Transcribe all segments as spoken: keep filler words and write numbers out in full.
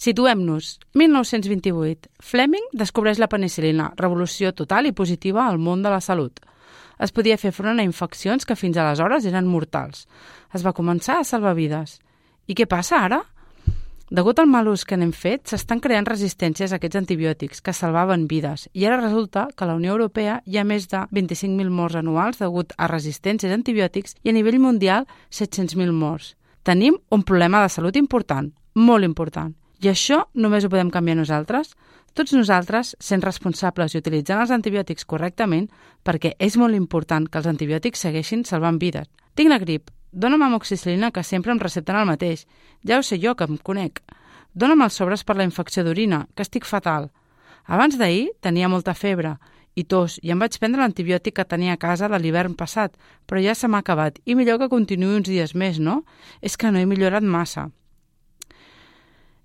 Situem-nos. mil nou-cents vint-i-vuit. Fleming descobreix la penicil·lina, revolució total i positiva al món de la salut. Es podia fer front a infeccions que fins aleshores eren mortals. Es va començar a salvar vides. I què passa ara? Degut al mal ús que n'hem fet, s'estan creant resistències a aquests antibiòtics que salvaven vides i ara resulta que a la Unió Europea hi ha més de vint-i-cinc mil morts anuals degut a resistències a antibiòtics i a nivell mundial set-cents mil morts. Tenim un problema de salut important, molt important. I això només ho podem canviar nosaltres? Tots nosaltres, sent responsables i utilitzant els antibiòtics correctament, perquè és molt important que els antibiòtics segueixin salvant vides. Tinc la grip. Dóna'm amoxicil·lina, que sempre em recepten el mateix. Ja ho sé jo, que em conec. Dóna'm els sobres per la infecció d'orina, que estic fatal. Abans d'ahir tenia molta febre i tos i em vaig prendre l'antibiòtic que tenia a casa de l'hivern passat, però ja se m'ha acabat i millor que continuï uns dies més, no? És que no he millorat massa.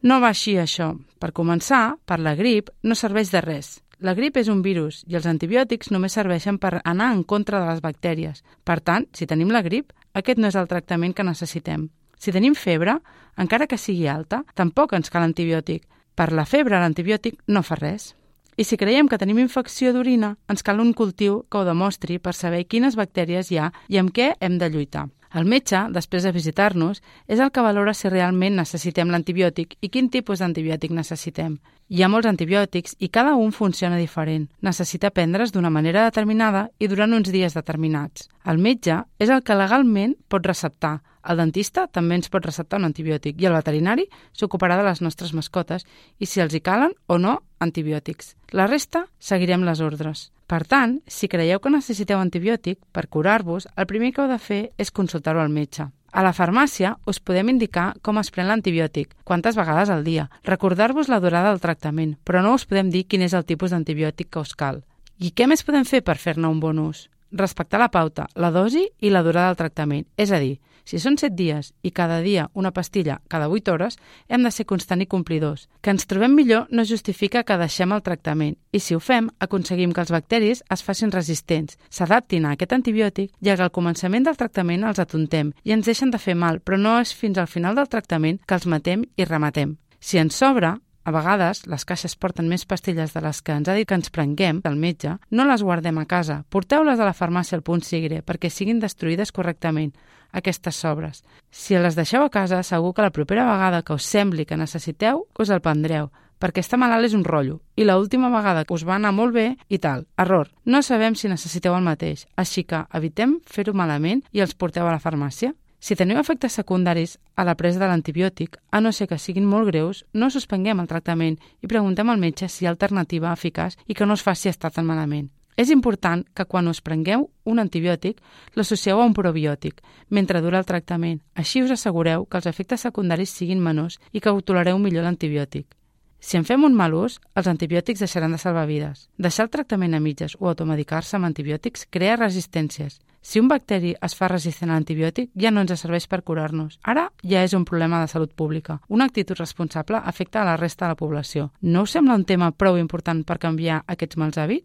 No va així, això. Per començar, per la grip no serveix de res. La grip és un virus i els antibiòtics només serveixen per anar en contra de les bactèries. Per tant, si tenim la grip, aquest no és el tractament que necessitem. Si tenim febre, encara que sigui alta, tampoc ens cal antibiòtic. Per la febre, l'antibiòtic no fa res. I si creiem que tenim infecció d'orina, ens cal un cultiu que ho demostri per saber quines bactèries hi ha i amb què hem de lluitar. El metge, després de visitar-nos, és el que valora si realment necessitem l'antibiòtic i quin tipus d'antibiòtic necessitem. Hi ha molts antibiòtics i cada un funciona diferent. Necessita prendre's d'una manera determinada i durant uns dies determinats. El metge és el que legalment pot receptar. El dentista també ens pot receptar un antibiòtic i el veterinari s'ocuparà de les nostres mascotes i si els hi calen o no antibiòtics. La resta seguirem les ordres. Per tant, si creieu que necessiteu antibiòtic, per curar-vos, el primer que heu de fer és consultar-ho al metge. A la farmàcia us podem indicar com es pren l'antibiòtic, quantes vegades al dia, recordar-vos la durada del tractament, però no us podem dir quin és el tipus d'antibiòtic que us cal. I què més podem fer per fer-ne un bon ús? Respectar la pauta, la dosi i la durada del tractament, és a dir, si són set dies i cada dia una pastilla cada vuit hores, hem de ser constant i complidors. Que ens trobem millor no justifica que deixem el tractament i si ho fem, aconseguim que els bacteris es facin resistents, s'adaptin a aquest antibiòtic i que al començament del tractament els atontem i ens deixen de fer mal, però no és fins al final del tractament que els matem i rematem. Si ens sobra, a vegades, les caixes porten més pastilles de les que ens ha dit que ens prenguem del metge, no les guardem a casa, porteu-les a la farmàcia al punt sigre perquè siguin destruïdes correctament, aquestes sobres. Si les deixeu a casa, segur que la propera vegada que us sembli que necessiteu, us el prendreu, perquè estar malalt és un rotllo, i l'última vegada que us va anar molt bé i tal. Error. No sabem si necessiteu el mateix, així que evitem fer-ho malament i els porteu a la farmàcia. Si teniu efectes secundaris a la presa de l'antibiòtic, a no ser que siguin molt greus, no suspenguem el tractament i preguntem al metge si hi ha alternativa eficaç i que no us faci estar tan malament. És important que quan us prengueu un antibiòtic l'associeu a un probiòtic mentre dura el tractament. Així us assegureu que els efectes secundaris siguin menors i que ho tolereu millor l'antibiòtic. Si en fem un mal ús, els antibiòtics deixaran de salvar vides. Deixar el tractament a mitges o automedicar-se amb antibiòtics crea resistències. Si un bacteri es fa resistent a l'antibiòtic, ja no ens serveix per curar-nos. Ara ja és un problema de salut pública. Una actitud responsable afecta a la resta de la població. No us sembla un tema prou important per canviar aquests mals hàbits?